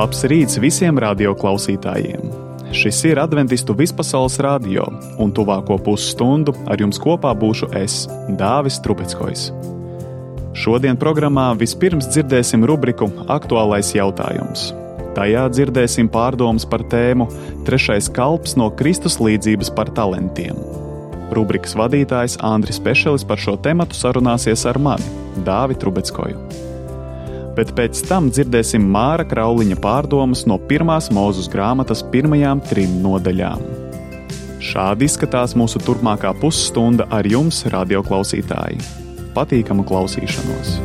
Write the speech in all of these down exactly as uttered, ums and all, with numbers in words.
Labs rīts visiem radioklausītājiem! Šis ir Adventistu vispasaules radio, un tuvāko pusstundu ar jums kopā būšu es, Dāvis Trubeckojs. Šodien programmā vispirms dzirdēsim rubriku Aktuālais jautājums. Tajā dzirdēsim pārdomas par tēmu Trešais kalps no Kristus līdzības par talantiem. Rubrikas vadītājs Andris Pešelis par šo tematu sarunāsies ar mani, Dāvi Trubeckoju. Bet pēc tam dzirdēsim Māra Krauliņa pārdomas no pirmās Mūzes grāmatas pirmajām trim nodaļām. Šādi izskatās mūsu turpmākā pusstunda ar jums, radioklausītāji. Patīkamu klausīšanos!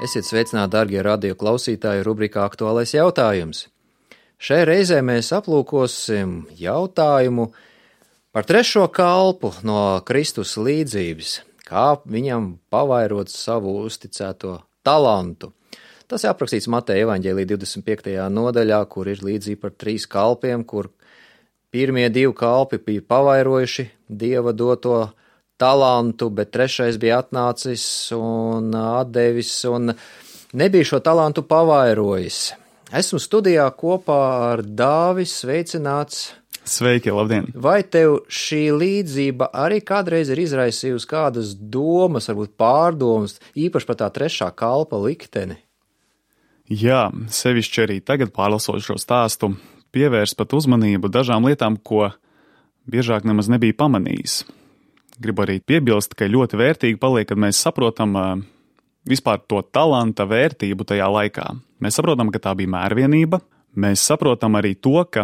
Esiet sveicināti, darbie radio klausītāji, rubrikā Aktuālais jautājums. Šai reizē mēs aplūkosim jautājumu par trešo kalpu no Kristus līdzības, kā viņam pavairot savu uzticēto talantu. Tas ir aprakstīts Mateja evaņģēlija divdesmit piektajā nodaļā, kur ir līdzība par trīs kalpiem, kur pirmie divi kalpi bija pavairojuši Dieva doto talantu, bet trešais bija atnācis un atdevis un nebija šo talantu pavairojis. Esmu studijā kopā ar Dāvi, sveicināts. Sveiki, labdien! Vai tev šī līdzība arī kādreiz ir izraisījusi kādas domas, varbūt pārdomas, īpaši par tā trešā kalpa likteni? Jā, sevišķi arī tagad pārlasot šo stāstu, pievērst pat uzmanību dažām lietām, ko biežāk nemaz nebija pamanījis. Gribu arī piebilst, ka ļoti vērtīgi paliek, kad mēs saprotam uh, vispār to talanta vērtību tajā laikā. Mēs saprotam, ka tā bija mērvienība. Mēs saprotam arī to, ka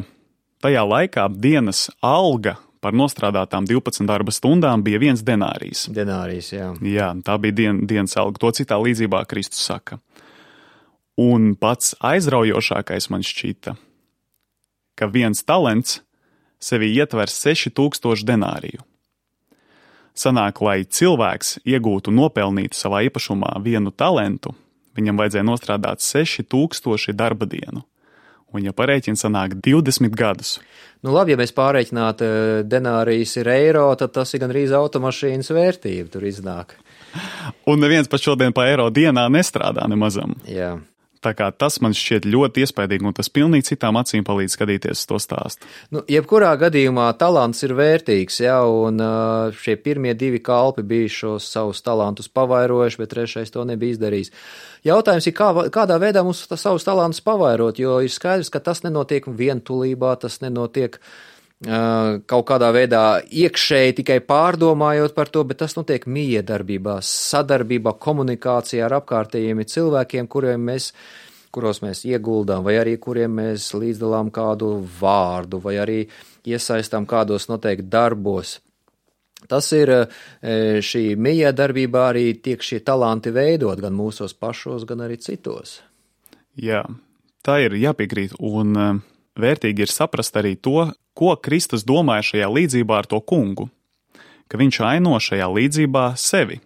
tajā laikā dienas alga par nostrādātām divpadsmit darba stundām bija viens denārijs. Denārijs, jā. Jā, tā bija dien, dienas alga. To citā līdzībā Kristus saka. Un pats aizraujošākais man šķita, ka viens talants sevi ietver seši tūkstoši denāriju. Sanāk, lai cilvēks iegūtu nopelnītu savā īpašumā vienu talantu, viņam vajadzēja nostrādāt seši tūkstoši darba dienu. Un, ja parēķina sanāk divdesmit gadus. Nu labi, ja mēs pārēķinātu denārijas ir eiro, tad tas ir gandrīz automašīnas vērtība, tur iznāk. Un neviens pat šodien pa eiro dienā nestrādā nemazam. Jā. Tā kā tas man šķiet ļoti iespaidīgi, un tas pilnīgi citām acīm palīdz skatīties uz to stāstu. Nu, jebkurā gadījumā talants ir vērtīgs, jā, un šie pirmie divi kalpi bija šos savus talantus pavairojuši, bet trešais to nebija izdarījis. Jautājums ir, kā, kādā veidā mums savus talantus pavairot, jo ir skaidrs, ka tas nenotiek vientulībā, tas nenotiek uh, kaut kādā veidā iekšēji tikai pārdomājot par to, bet tas notiek miedarbībā, sadarbībā, komunikācijā ar apkārtējiem cilvēkiem, kuriem mēs kuros mēs ieguldām, vai arī kuriem mēs līdzdalām kādu vārdu, vai arī iesaistām kādos noteikti darbos. Tas ir šī miedarbībā arī tiek šie talanti veidot gan mūsos pašos, gan arī citos. Jā, tā ir jāpiekrīt, un vērtīgi ir saprast arī to, ko Kristus domāja šajā līdzībā ar to kungu, ka viņš aino šajā līdzībā sevi.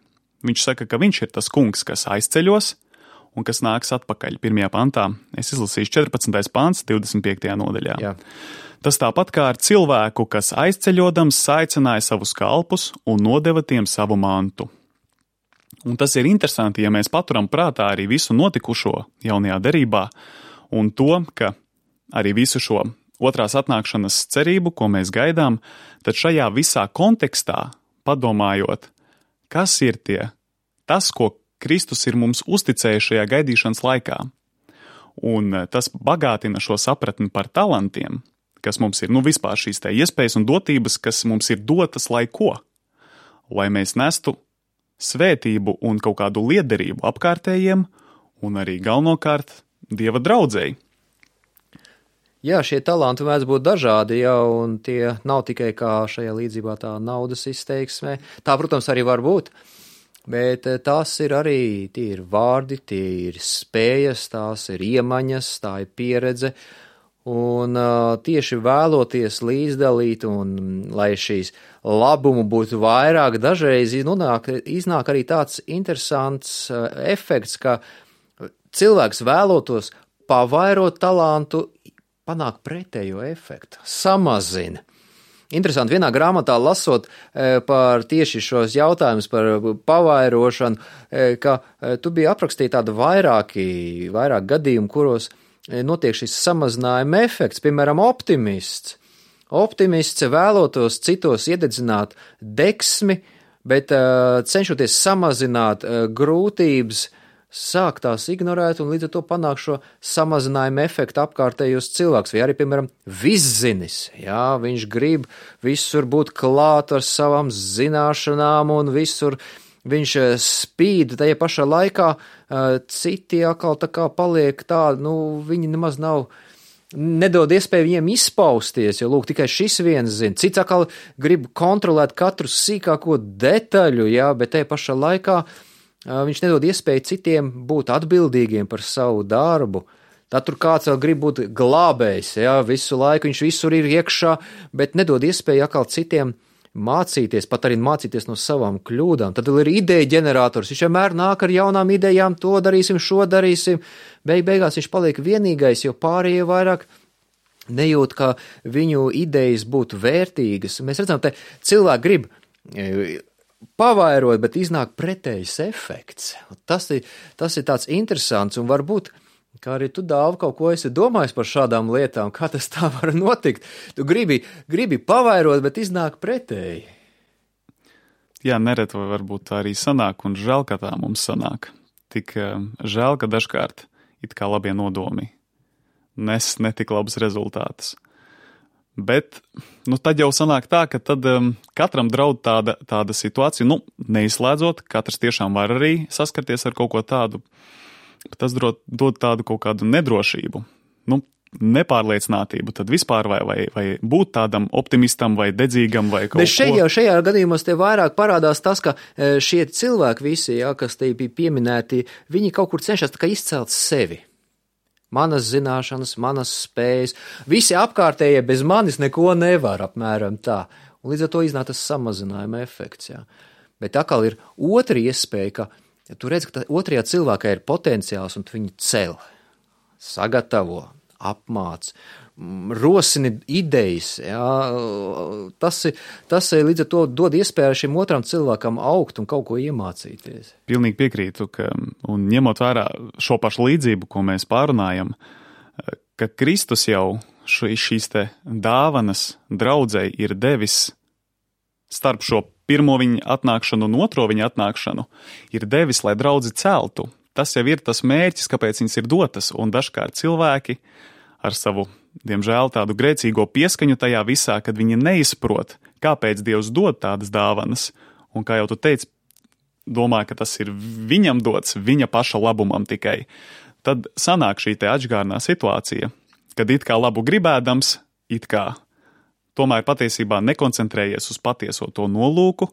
Viņš saka, ka viņš ir tas kungs, kas aizceļos, un kas nāks atpakaļ pirmajā pantā. Es izlasīšu četrpadsmitais pants, divdesmit piektajā nodaļā. Jā. Tas tāpat kā ar cilvēku, kas aizceļodams saicināja savus kalpus un nodeva tiem savu mantu. Un tas ir interesanti, ja mēs paturam prātā arī visu notikušo jaunajā derībā un to, ka arī visu šo otrās atnākšanas cerību, ko mēs gaidām, tad šajā visā kontekstā, padomājot, kas ir tie, tas, ko Kristus ir mums uzticējis šajā gaidīšanas laikā. Un tas bagātina šo sapratni par talantiem, kas mums ir, nu vispār šīs te iespējas un dotības, kas mums ir dotas, lai ko? Lai mēs nestu svētību un kaut kādu liederību apkārtējiem un arī galvenokārt Dieva draudzei. Jā, šie talanti mēdz būt dažādi, jā, un tie nav tikai kā šajā līdzībā tā naudas izteiksmē. Tā, protams, arī var būt. Bet tās ir arī, tie ir vārdi, tie ir spējas, tās ir iemaņas, tā ir pieredze. Un uh, tieši vēloties līdzdalīt un lai šīs labumu būtu vairāk, dažreiz nonāk, iznāk arī tāds interesants uh, efekts, ka cilvēks vēlotos pavairot talantu, panāk pretējo efektu, samazina. Interesanti, vienā grāmatā lasot e, par tieši šos jautājumus par pavairošanu, e, ka e, tu biji aprakstīt tādu vairāki, vairāk gadījumu, kuros e, notiek šis samazinājuma efekts, piemēram, optimists. Optimists vēlotos citos iededzināt deksmi, bet e, cenšoties samazināt e, grūtības, sāk tās ignorēt un līdz ar to panāk šo samazinājumu efektu apkārtējos cilvēks, vai arī, piemēram, viszinis, jā, viņš grib visur būt klāt ar savām zināšanām un visur viņš spīd, tajā pašā laikā citi atkal tā kā paliek tādi, nu, viņi nemaz nav, nedod iespēju viņiem izpausties, jo, lūk, tikai šis viens zina, cits atkal grib kontrolēt katru sīkāko detaļu, jā, bet tajā pašā laikā viņš nedod iespēju citiem būt atbildīgiem par savu darbu. Tad tur kāds vēl grib būt glābējs, jā, visu laiku viņš visur ir iekšā, bet nedod iespēju atkal citiem mācīties, pat arī mācīties no savām kļūdām. Tad vēl ir ideja ģenerators, viņš vienmēr nāk ar jaunām idejām, to darīsim, šo darīsim. Beig beigās viņš paliek vienīgais, jo pārējie vairāk nejūt, ka viņu idejas būtu vērtīgas. Mēs redzam, te cilvēki grib pavairot, bet iznāk pretējs efekts. Tas ir, tas ir tāds interesants un varbūt, kā arī tu, Dāva, kaut ko esi domājis par šādām lietām, kā tas tā var notikt. Tu gribi, gribi pavairot, bet iznāk pretēji. Jā, nereti vai varbūt tā arī sanāk, un žēl, ka tā mums sanāk. Tik žēl, ka dažkārt it kā labie nodomi nes netik labus rezultātus. Bet, nu, tad jau sanāk tā, ka tad um, katram draud tāda, tāda situācija, nu, neizslēdzot, katrs tiešām var arī saskarties ar kaut ko tādu, bet tas dod, dod tādu kaut kādu nedrošību, nu, nepārliecinātību, tad vispār vai, vai, vai būt tādam optimistam vai dedzīgam vai kaut ko. Bet šajā, šajā gadījumos te vairāk parādās tas, ka šie cilvēki visi, jā, kas te bija pieminēti, viņi kaut kur cenšas tā kā izcelt sevi. Manas zināšanas, manas spējas, visi apkārtējie bez manis neko nevar, apmēram tā. Un līdz ar to iznāk tas samazinājuma efekts, jā. Bet atkal ir otra iespēja, ka ja tu redz, ka otrajā cilvēkā ir potenciāls un tu viņu cel, sagatavo, apmāc, rosini idejas, jā. Tas, tas līdz ar to dod iespēju šim otram cilvēkam augt un kaut ko iemācīties. Pilnīgi piekrītu, ka, un ņemot vērā šo pašu līdzību, ko mēs pārunājam, ka Kristus jau šīs te dāvanas draudzei ir devis starp šo pirmo viņa atnākšanu un otro viņa atnākšanu, ir devis, lai draudzi celtu. Tas jau ir tas mērķis, kāpēc viņas ir dotas, un dažkārt cilvēki ar savu, diemžēl, tādu grēcīgo pieskaņu tajā visā, kad viņi neizprot, kāpēc Dievs dod tādas dāvanas, un kā jau tu teici, domā, ka tas ir viņam dots, viņa paša labumam tikai, tad sanāk šī te atžgārnā situācija, kad it kā labu gribēdams, it kā tomēr patiesībā nekoncentrējies uz patieso to nolūku,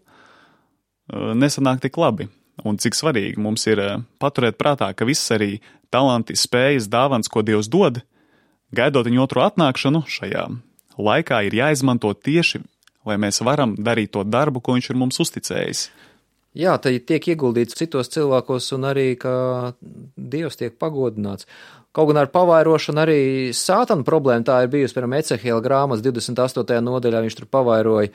nesanāk tik labi. Un cik svarīgi mums ir paturēt prātā, ka viss arī talanti, spējas, dāvans, ko Dievs dod, gaidot viņu otro atnākšanu, šajā laikā ir jāizmanto tieši, lai mēs varam darīt to darbu, ko viņš ir mums uzticējis. Jā, tad tiek ieguldīts citos cilvēkos un arī, ka Dievs tiek pagodināts. Kaut gan ar pavairošanu arī sātana problēma tā ir bijusi, piemēram, Ecehiela grāmatas divdesmit astotajā nodaļā, viņš tur pavairoja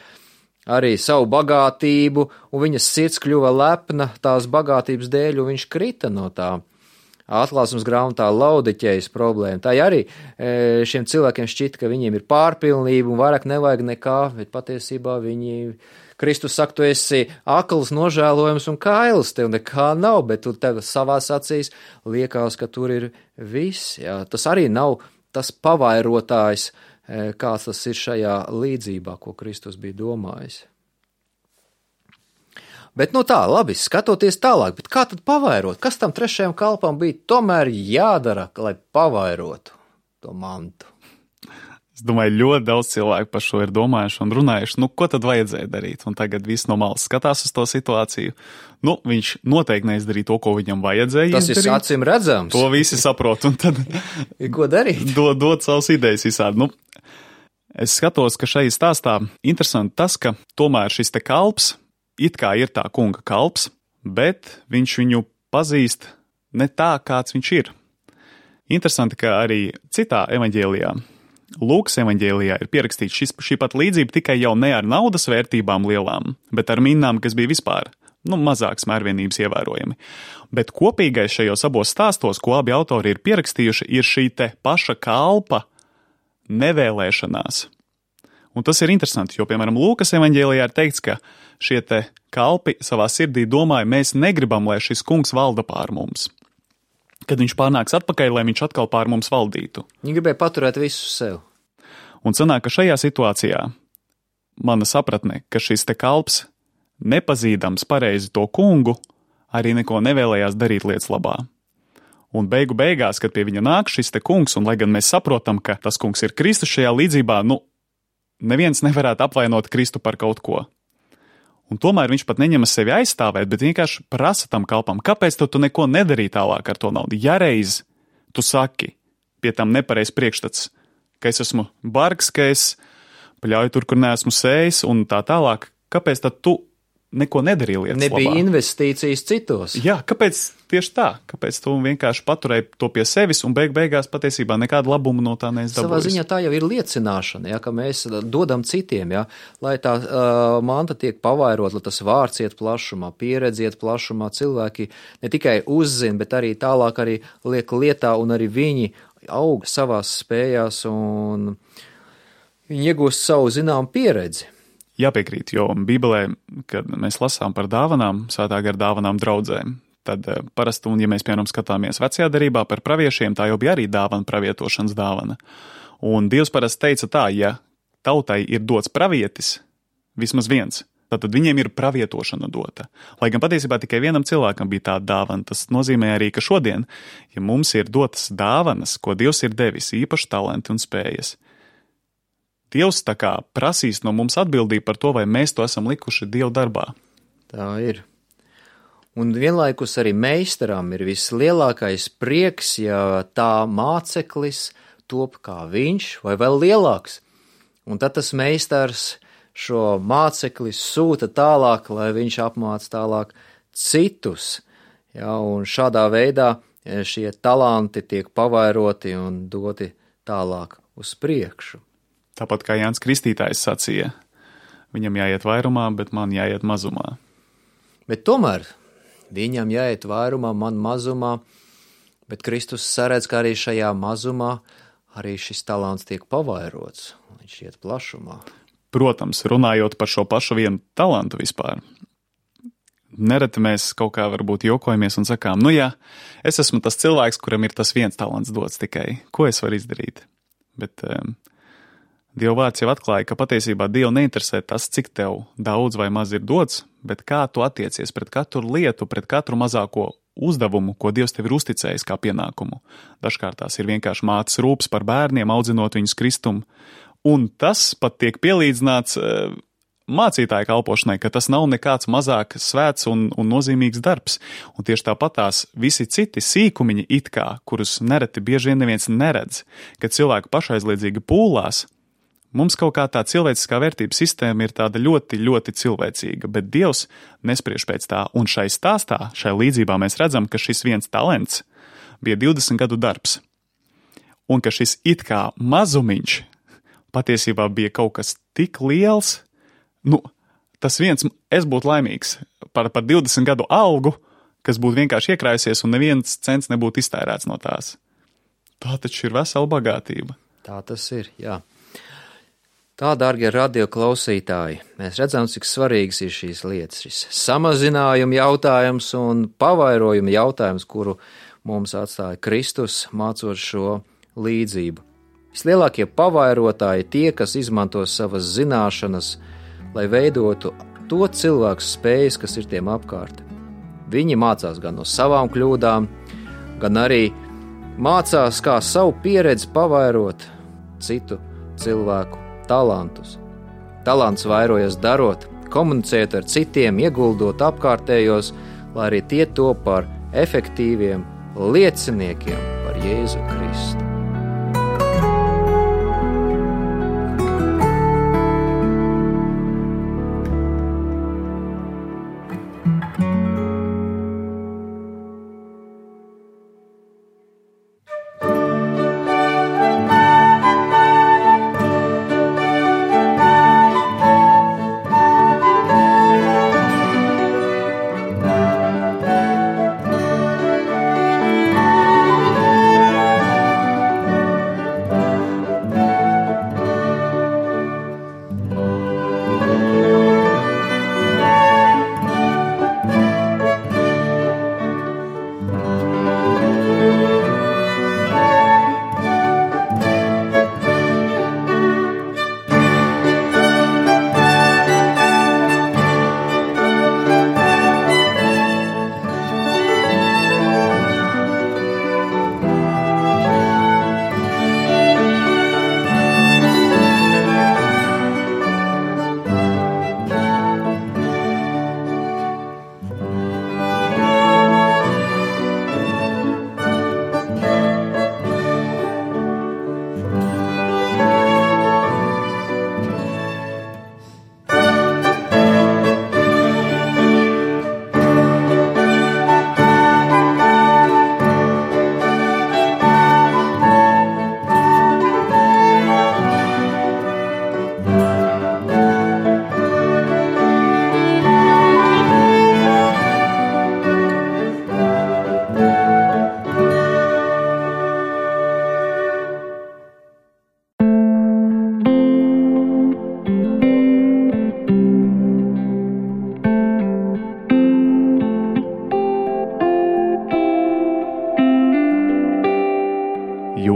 arī savu bagātību, un viņas sirds kļuva lepna tās bagātības dēļ, un viņš krita no tā. Atklāsmes grāmatā Laudiķejas problēma. Tā arī šiem cilvēkiem šķita, ka viņiem ir pārpilnība un vairāk nevajag nekā, bet patiesībā viņi, Kristus saka, tu esi akls, nožēlojams un kails, tev nekā nav, bet tu tev savās acīs liekas, ka tur ir viss. Jā. Tas arī nav tas pavairotājs, kāds tas ir šajā līdzībā, ko Kristus bija domājis. Bet nu tā, labi, skatoties tālāk, bet kā tad pavairot? Kas tam trešajam kalpam bija tomēr jādara, lai pavairotu to mantu? Es domāju, ļoti daudz cilvēku par šo ir domājuši un runājuši, nu, ko tad vajadzēja darīt? Un tagad viss no malas skatās uz to situāciju. Nu, viņš noteikti neizdarīja to, ko viņam vajadzēja Tas izdarīt. Tas ir acīm redzams. To visi saprot, un tad ir ko darīt? dod, dod savas idejas visādi. Nu, es skatos, ka šai stāstā interesanti tas, ka tomēr šis te kalps it kā ir tā kunga kalps, bet viņš viņu pazīst ne tā, kāds viņš ir. Interesanti, ka arī citā evaņģēlijā, Lūkas evaņģēlijā, ir pierakstīts šis, šī pat līdzība tikai jau ne ar naudas vērtībām lielām, bet ar minnām, kas bija vispār, nu, mazāks mērvienības ievērojami. Bet kopīgais šajos abos stāstos, ko abi autori ir pierakstījuši, ir šī te paša kalpa nevēlēšanās. Un tas ir interesanti, jo, piemēram, Lūkas evaņģēlijā ir teikts, ka šie te kalpi savā sirdī domāja, mēs negribam, lai šis kungs valda pār mums. Kad viņš pārnāks atpakaļ, lai viņš atkal pār mums valdītu. Viņi gribēja paturēt visu sev. Un sanāk, ka šajā situācijā mana sapratne, ka šis te kalps, nepazīdams pareizi to kungu, arī neko nevēlējās darīt lietas labā. Un beigu beigās, kad pie viņa nāk šis te kungs, un lai gan mēs saprotam, ka tas kungs ir Kristus šajā līdzībā, nu, neviens nevarētu apvainot Kristu par kaut ko. Un tomēr viņš pat neņemas sevi aizstāvēt, bet vienkārši prasa tam kalpam, kāpēc tu, tu neko nedarīji tālāk ar to naudu. Ja reiz tu saki, pie tam nepareiz priekšstats, ka es esmu bargs, ka es pļauju tur, kur neesmu sējis un tā tālāk, kāpēc tad tu neko nedarīja lietas Nebija labā? investīcijas citos. Jā, kāpēc tieši tā? Kāpēc tu vienkārši paturēji to pie sevis un beig beigās patiesībā nekādu labumu no tā neesi dabūjis? Savā ziņā tā jau ir liecināšana, ja, ka mēs dodam citiem, ja, lai tā uh, manta tiek pavairot, lai tas vārds iet plašumā, pieredze iet plašumā, cilvēki ne tikai uzzina, bet arī tālāk arī liek lietā un arī viņi aug savās spējās un viņi iegūst savu zinām pieredzi. Jāpiekrīt, jo Bībelē, kad mēs lasām par dāvanām, svētā gara dāvanām draudzēm, tad parasti, un ja mēs, piemēram, skatāmies vecajā derībā par praviešiem, tā jau bija arī dāvana, pravietošanas dāvana. Un Dievs parasti teica tā, ja tautai ir dots pravietis, vismaz viens, tad viņiem ir pravietošana dota. Lai gan patiesībā tikai vienam cilvēkam bija tāda dāvana, tas nozīmē arī, ka šodien, ja mums ir dotas dāvanas, ko Dievs ir devis, īpaši talenti un spējas, Dievs tā kā prasīs no mums atbildību par to, vai mēs to esam likuši Dievu darbā. Tā ir. Un vienlaikus arī meistaram ir vislielākais prieks, ja tā māceklis top kā viņš vai vēl lielāks. Un tad tas meistars šo mācekli sūta tālāk, lai viņš apmāc tālāk citus. Ja, un šādā veidā šie talanti tiek pavairoti un doti tālāk uz priekšu. Tāpat kā Jānis Kristītājs sacīja, viņam jāiet vairumā, bet man jāiet mazumā. Bet tomēr viņam jāiet vairumā, man mazumā, bet Kristus saredz, ka arī šajā mazumā arī šis talants tiek pavairots, viņš iet plašumā. Protams, runājot par šo pašu vienu talantu vispār, nereti mēs kaut kā varbūt jokojamies un sakām, nu jā, es esmu tas cilvēks, kuram ir tas viens talants dots tikai, ko es varu izdarīt? Bet um, Dieva vārds jau atklāja, ka patiesībā Dievu neinteresē tas, cik tev daudz vai maz ir dots, bet kā tu attiecies pret katru lietu, pret katru mazāko uzdevumu, ko Dievs tev ir uzticējis kā pienākumu. Dažkārt tās ir vienkārši mātes rūpes par bērniem, audzinot viņus Kristumu, un tas pat tiek pielīdzināts uh, mācītāja kalpošanai, ka tas nav nekāds mazāk svēts un, un nozīmīgs darbs. Un tieši tāpat tās visi citi sīkumiņi it kā, kurus nereti bieži vien neviens neredz, kad cilvēki pašaizliedzīgi pūlās, mums kaut kā tā cilvēciskā vērtības sistēma ir tāda ļoti, ļoti cilvēcīga, bet Dievs nespriež pēc tā. Un šai stāstā, šai līdzībā mēs redzam, ka šis viens talents bija divdesmit gadu darbs. Un ka šis it kā mazumiņš patiesībā bija kaut kas tik liels, nu, tas viens, es būtu laimīgs par, par divdesmit gadu algu, kas būtu vienkārši iekrājusies un neviens cents nebūtu iztērēts no tās. Tā taču ir vesela bagātība. Tā tas ir, jā. Tā, dārgie radio klausītāji, mēs redzam, cik svarīgas ir šīs lietas, šis samazinājuma jautājums un pavairojuma jautājums, kuru mums atstāja Kristus, mācot šo līdzību. Vislielākie pavairotāji tie, kas izmanto savas zināšanas, lai veidotu to cilvēku spējas, kas ir tiem apkārt. Viņi mācās gan no savām kļūdām, gan arī mācās, kā savu pieredzi pavairot citu cilvēku talantus. Talants vairojas darot, komunicēt ar citiem, ieguldot apkārtējos, lai arī tie top par efektīviem lieciniekiem par Jēzu Kristu.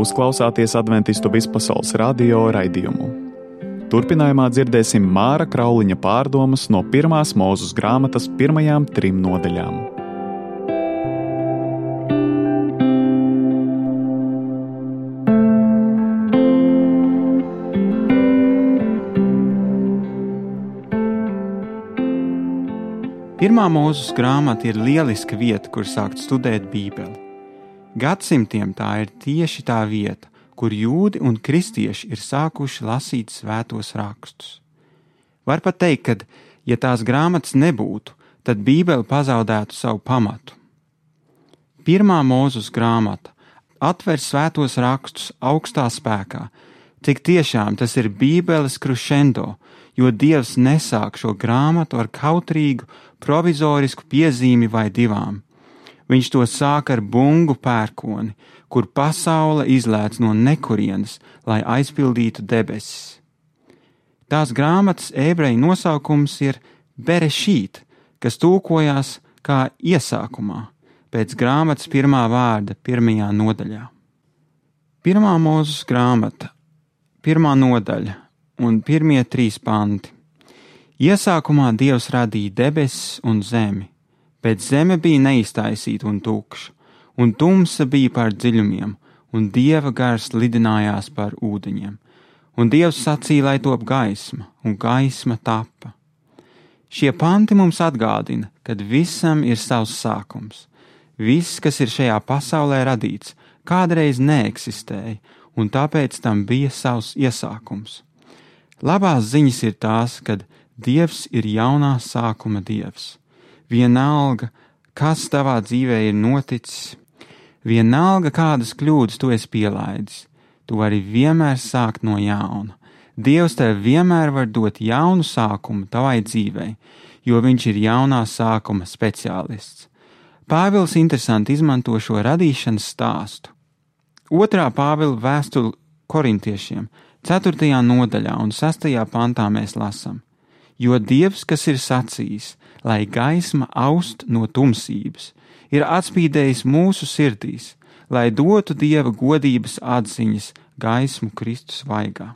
Jūs klausāties Adventistu vispasaules radio raidījumu. Turpinājumā dzirdēsim Māra Krauliņa pārdomas no pirmās Mūzes grāmatas pirmajām trim nodaļām. Pirmā Mūzes grāmata ir lieliska vieta, kur sākt studēt Bībeli. Gadsimtiem tā ir tieši tā vieta, kur jūdi un kristieši ir sākuši lasīt svētos rakstus. Var pat teikt, ka, ja tās grāmatas nebūtu, tad Bībele pazaudētu savu pamatu. Pirmā Mūzes grāmata atver svētos rakstus augstā spēkā, cik tiešām tas ir Bībeles crescendo, jo Dievs nesāk šo grāmatu ar kautrīgu, provizorisku piezīmi vai divām. Viņš to sāk ar bungu pērkoni, kur pasaule izlēc no nekurienes, lai aizpildītu debesis. Tās grāmatas ebreju nosaukums ir Berešīt, kas tulkojās kā iesākumā, pēc grāmatas pirmā vārda pirmajā nodaļā. Pirmā Mūzes grāmata, pirmā nodaļa un pirmie trīs panti. Iesākumā Dievs radīja debesis un zemi. Bet zeme bija neiztaisīta un tukša, un tumsa bija pār dziļumiem, un Dieva gars lidinājās pār ūdeņiem. Un Dievs sacīja, lai top gaisma, un gaisma tapa. Šie panti mums atgādina, ka visam ir savs sākums. Viss, kas ir šajā pasaulē radīts, kādreiz neeksistēja, un tāpēc tam bija savs iesākums. Labās ziņas ir tās, kad Dievs ir jaunā sākuma Dievs. Vienalga, kas tavā dzīvē ir noticis, vienalga, kādas kļūdas tu esi pielaidis, tu vari vienmēr sākt no jauna. Dievs tev vienmēr var dot jaunu sākumu tavai dzīvei, jo viņš ir jaunā sākuma speciālists. Pāvils interesanti izmanto šo radīšanas stāstu. Otrā Pāvila vēstule korintiešiem, ceturtajā nodaļā un sastajā pantā mēs lasam. Jo Dievs, kas ir sacījis, lai gaisma aust no tumsības, ir atspīdējis mūsu sirdīs, lai dotu Dieva godības atziņas gaismu Kristus vaigā.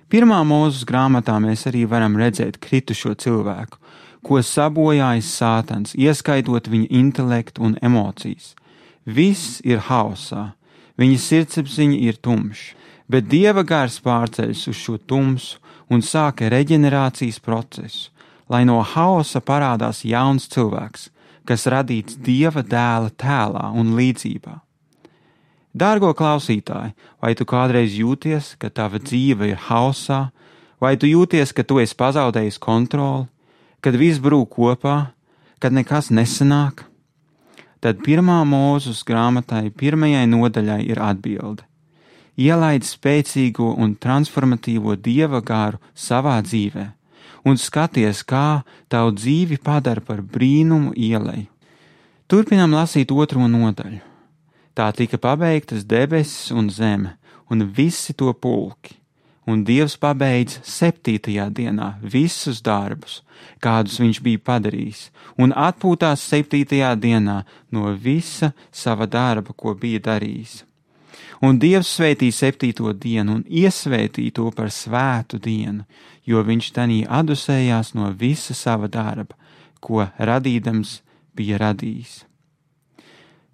Pirmā Mūzes grāmatā mēs arī varam redzēt kritušo cilvēku, ko sabojājis Sātans, ieskaitot viņa intelektu un emocijas. Viss ir haosā, viņa sirdsapziņa ir tumša, bet Dieva gars pārceļas uz šo tumsu un sāka reģenerācijas procesu, lai no haosa parādās jauns cilvēks, kas radīts Dieva dēla tēlā un līdzībā. Dārgo klausītāji, vai tu kādreiz jūties, ka tava dzīve ir haosā, vai tu jūties, ka tu esi pazaudējis kontroli, kad viss brūk kopā, kad nekas nesanāk? Tad pirmā Mūzes grāmatai pirmajai nodaļai ir atbilde. Ielaid spēcīgo un transformatīvo Dieva garu savā dzīvē un skaties, kā tavu dzīvi padara par brīnumu ieleju. Turpinām lasīt otro nodaļu. Tā tika pabeigtas debesis un zeme, un visi to pulki, un Dievs pabeidz septītajā dienā visus darbus, kādus viņš bija padarījis, un atpūtās septītajā dienā no visa sava darba, ko bija darījis. Un Dievs svētīja septīto dienu un iesvētīja to par svētu dienu, jo viņš tanī adusējās no visa sava darba, ko radīdams bija radījis.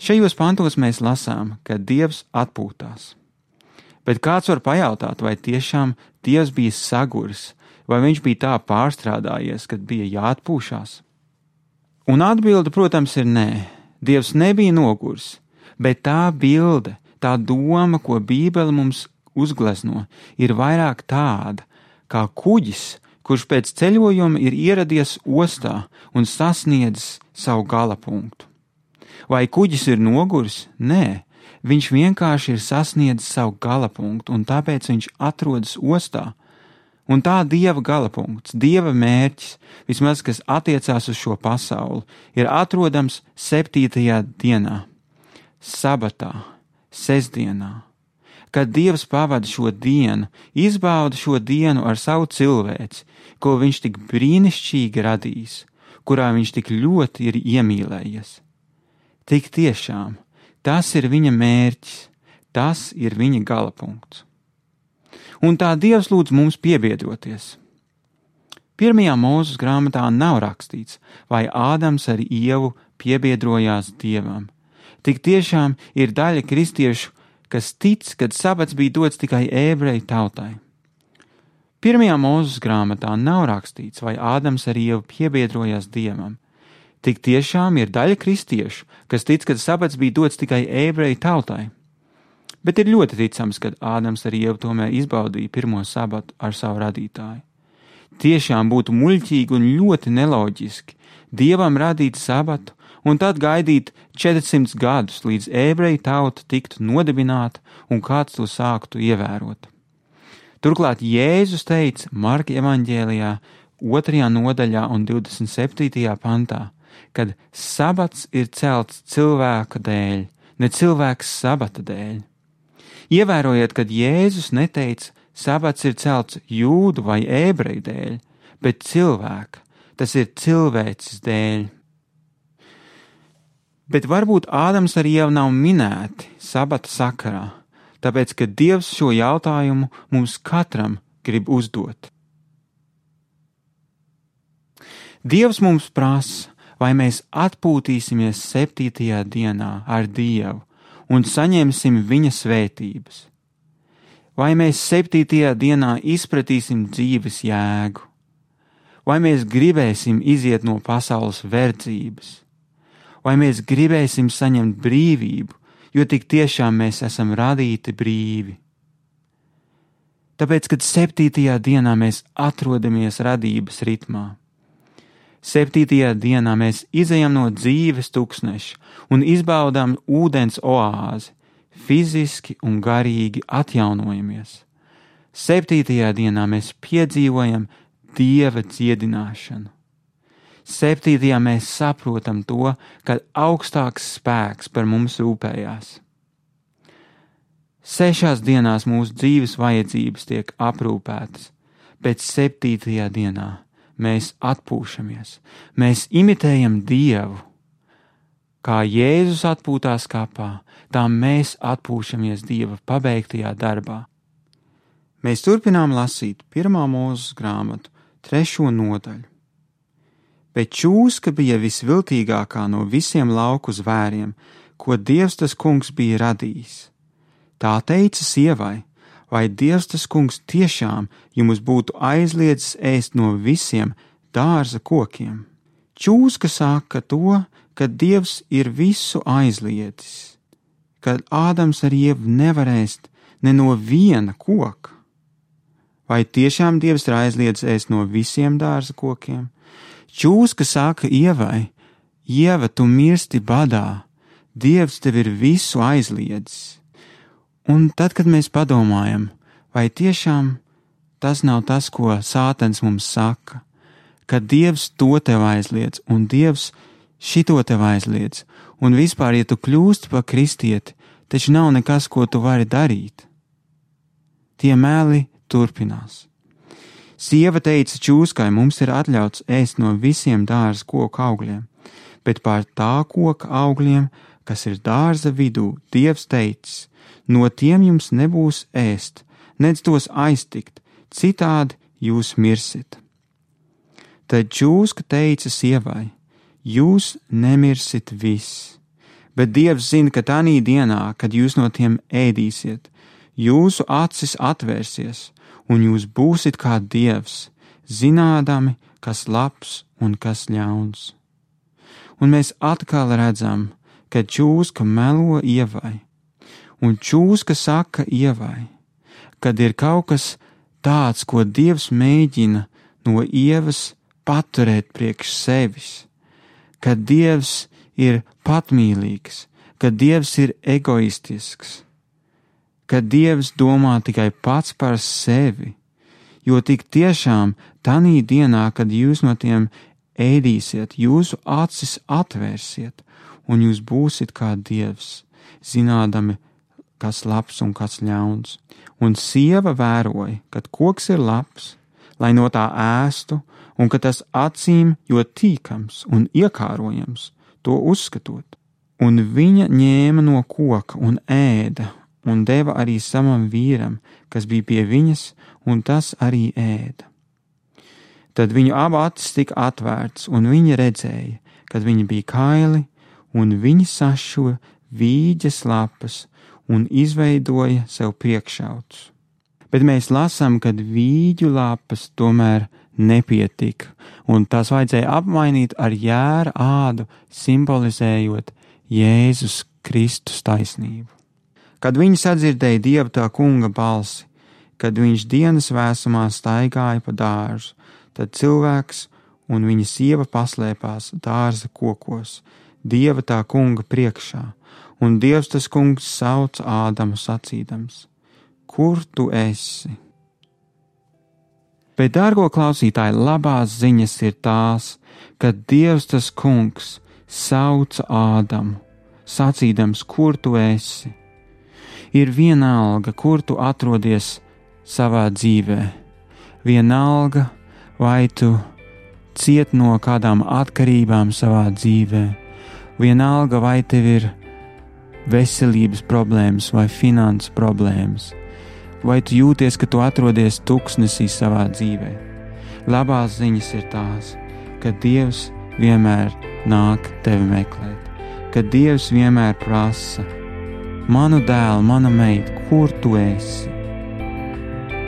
Šajos pantos mēs lasām, ka Dievs atpūtās. Bet kāds var pajautāt, vai tiešām Dievs bija saguris, vai viņš bija tā pārstrādājies, kad bija jāatpūšās? Un atbilde, protams, ir nē. Dievs nebija noguris, bet tā bilde, tā doma, ko Bībele mums uzglezno, ir vairāk tāda, kā kuģis, kurš pēc ceļojuma ir ieradies ostā un sasniedzis savu galapunktu. Vai kuģis ir noguris? Nē, viņš vienkārši ir sasniedzis savu galapunktu, un tāpēc viņš atrodas ostā. Un tā Dieva galapunkts, Dieva mērķis, vismaz kas attiecās uz šo pasauli, ir atrodams septītajā dienā, sabatā, sestdienā. Kad Dievs pavada šo dienu, izbauda šo dienu ar savu cilvēci, ko viņš tik brīnišķīgi radījis, kurā viņš tik ļoti ir iemīlējies. Tik tiešām, tas ir viņa mērķis, tas ir viņa galapunkts. Un tā Dievs lūdz mums piebiedroties. Pirmajā Mūzes grāmatā nav rakstīts, vai Ādams ar Ievu piebiedrojās Dievam. Tik tiešām ir daļa kristiešu, kas tic, kad sabats bija dots tikai ebreju tautai. Pirmajā Mūzes grāmatā nav rakstīts, vai Ādams ar Ievu piebiedrojās Dievam. Tik tiešām ir daļa kristiešu, kas tic, ka sabats bija dots tikai ebreju tautai. Bet ir ļoti ticams, ka Ādams ar Ievu tomēr izbaudīja pirmo sabatu ar savu radītāju. Tiešām būtu muļķīgi un ļoti neloģiski Dievam radīt sabatu un tad gaidīt četrsimt gadus, līdz ebreju tauta tiktu nodibināta un kāds to sāktu ievērot. Turklāt Jēzus teica Marka evaņģēlijā otrajā nodaļā un divdesmit septītajā pantā, kad sabats ir celts cilvēka dēļ, ne cilvēks sabata dēļ. Ievērojiet, kad Jēzus neteica, sabats ir celts jūdu vai ebreju dēļ, bet cilvēka, tas ir cilvēces dēļ. Bet varbūt Ādams ar Ievu nav minēti sabata sakarā, tāpēc, ka Dievs šo jautājumu mums katram grib uzdot. Dievs mums prasa, vai mēs atpūtīsimies septītajā dienā ar Dievu un saņemsim viņa svētības. Vai mēs septītajā dienā izpratīsim dzīves jēgu? Vai mēs gribēsim iziet no pasaules verdzības? Vai mēs gribēsim saņemt brīvību, jo tik tiešām mēs esam radīti brīvi? Tāpēc, kad septītajā dienā mēs atrodamies radības ritmā, septītajā dienā mēs izejam no dzīves tuksneša un izbaudām ūdens oāzi, fiziski un garīgi atjaunojamies. Septītajā dienā mēs piedzīvojam Dieva dziedināšanu. Septītajā mēs saprotam to, ka augstāks spēks par mums rūpējās. Sešās dienās mūsu dzīves vajadzības tiek aprūpētas, bet septītajā dienā mēs atpūšamies, mēs imitējam Dievu. Kā Jēzus atpūtās kapā, tā mēs atpūšamies Dieva pabeigtajā darbā. Mēs turpinām lasīt pirmā Mūzes grāmatu, trešo nodaļu. Bet čūska bija visviltīgākā no visiem lauku zvēriem, ko Dievs tas kungs bija radījis. Tā teica sievai, vai Dievs tas kungs tiešām jums būtu aizliedzis ēst no visiem dārza kokiem? Čūska saka to, ka Dievs ir visu aizliedzis, kad Ādams ar Ievu nevar ēst ne no viena koka. Vai tiešām Dievs ir aizliedzis ēst no visiem dārza kokiem? Čūska saka Ievai: Ieva, tu mirsti badā, Dievs tev ir visu aizliedzis. Un tad, kad mēs padomājam, vai tiešām tas nav tas, ko Sātans mums saka, ka Dievs to tev aizliedz, un Dievs šito tev aizliedz, un vispār, ja tu kļūsti par kristieti, taču nav nekas, ko tu vari darīt. Tie meli turpinās. Sieva teica čūskai: mums ir atļauts ēst no visiem dārza koku augļiem, bet pār tā koka augļiem, kas ir dārza vidū, Dievs teicis: no tiem jums nebūs ēst, nec tos aiztikt, citādi jūs mirsit. Tad čūska teica sievai: jūs nemirsit viss, bet Dievs zina, ka tanī dienā, kad jūs no tiem ēdīsiet, jūsu acis atvērsies, un jūs būsit kā Dievs, zinādami, kas labs un kas ļauns. Un mēs atkal redzam, ka čūska melo Ievai, un čūska saka Ievai, kad ir kaut kas tāds, ko Dievs mēģina no Ievas paturēt priekš sevis, ka Dievs ir patmīlīgs, ka Dievs ir egoistisks, ka Dievs domā tikai pats par sevi, jo tik tiešām tanī dienā, kad jūs no tiem ēdīsiet, jūsu acis atvērsiet, un jūs būsit kā Dievs, zinādami, kas labs un kas ļauns. Un sieva vēroja, kad koks ir labs, lai no tā ēstu, un ka tas acīm ļoti tīkams un iekārojams, to uzskatot. Un viņa ņēma no koka un ēda, un deva arī savam vīram, kas bija pie viņas, un tas arī ēda. Tad viņu abu acis tika atvērts, un viņa redzēja, kad viņi bija kaili, un viņi sašuva vīģes lapas un izveidoja sev priekšautus. Bet mēs lasām, kad vīģu lapas tomēr nepietika, un tās vajadzēja apmainīt ar jēra ādu, simbolizējot Jēzus Kristus taisnību. Kad viņi sadzirdēja Dieva tā kunga balsi, kad viņš dienas vēsumā staigāja pa dārzu, tad cilvēks un viņa sieva paslēpās dārza kokos, Dieva tā kunga priekšā, un Dievs tas kungs sauca Ādamu sacīdams: kur tu esi? Bet, dārgo klausītāji, labās ziņas ir tās, ka Dievs tas kungs sauca Ādamu, sacīdams: kur tu esi? Ir vienalga, kur tu atrodies savā dzīvē, vienalga, vai tu ciet no kādām atkarībām savā dzīvē, vienalga, vai tev ir veselības problēmas vai finanses problēmas, vai tu jūties, ka tu atrodies tuksnesī savā dzīvē. Labās ziņas ir tās, ka Dievs vienmēr nāk tevi meklēt, ka Dievs vienmēr prasa: manu dēlu, mana meita, kur tu esi?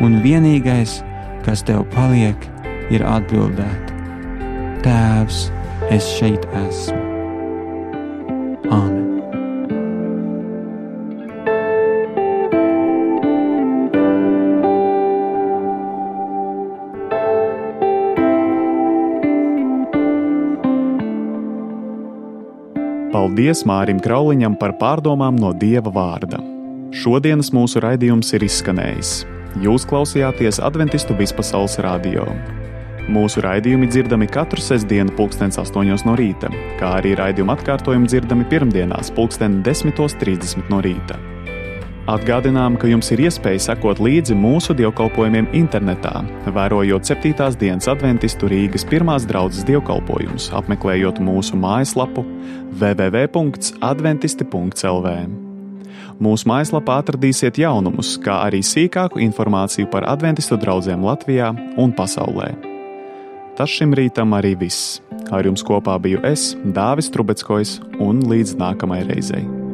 Un vienīgais, kas tev paliek, ir atbildēt: Tēvs, es šeit esmu. Āmen. Paldies Mārim Krauliņam par pārdomām no Dieva vārda. Šodienas mūsu raidījums ir izskanējis. Jūs klausījāties Adventistu vispasaules radio. Mūsu raidījumi dzirdami katru sestdienu pulkstens astoņos no rīta, kā arī raidījuma atkārtojumi dzirdami pirmdienās pulksten desmitos trīsdesmit no rīta. Atgādinām, ka jums ir iespēja sekot līdzi mūsu dievkalpojumiem internetā, vērojot septītās dienas Adventistu Rīgas pirmās draudzes dievkalpojumus, apmeklējot mūsu mājaslapu w w w punkts adventisti punkts l v. Mūsu mājaslapā atradīsiet jaunumus, kā arī sīkāku informāciju par adventistu draudzēm Latvijā un pasaulē. Tas šim rītam arī viss. Ar jums kopā biju es, Dāvis Trubeckojs, un līdz nākamai reizei.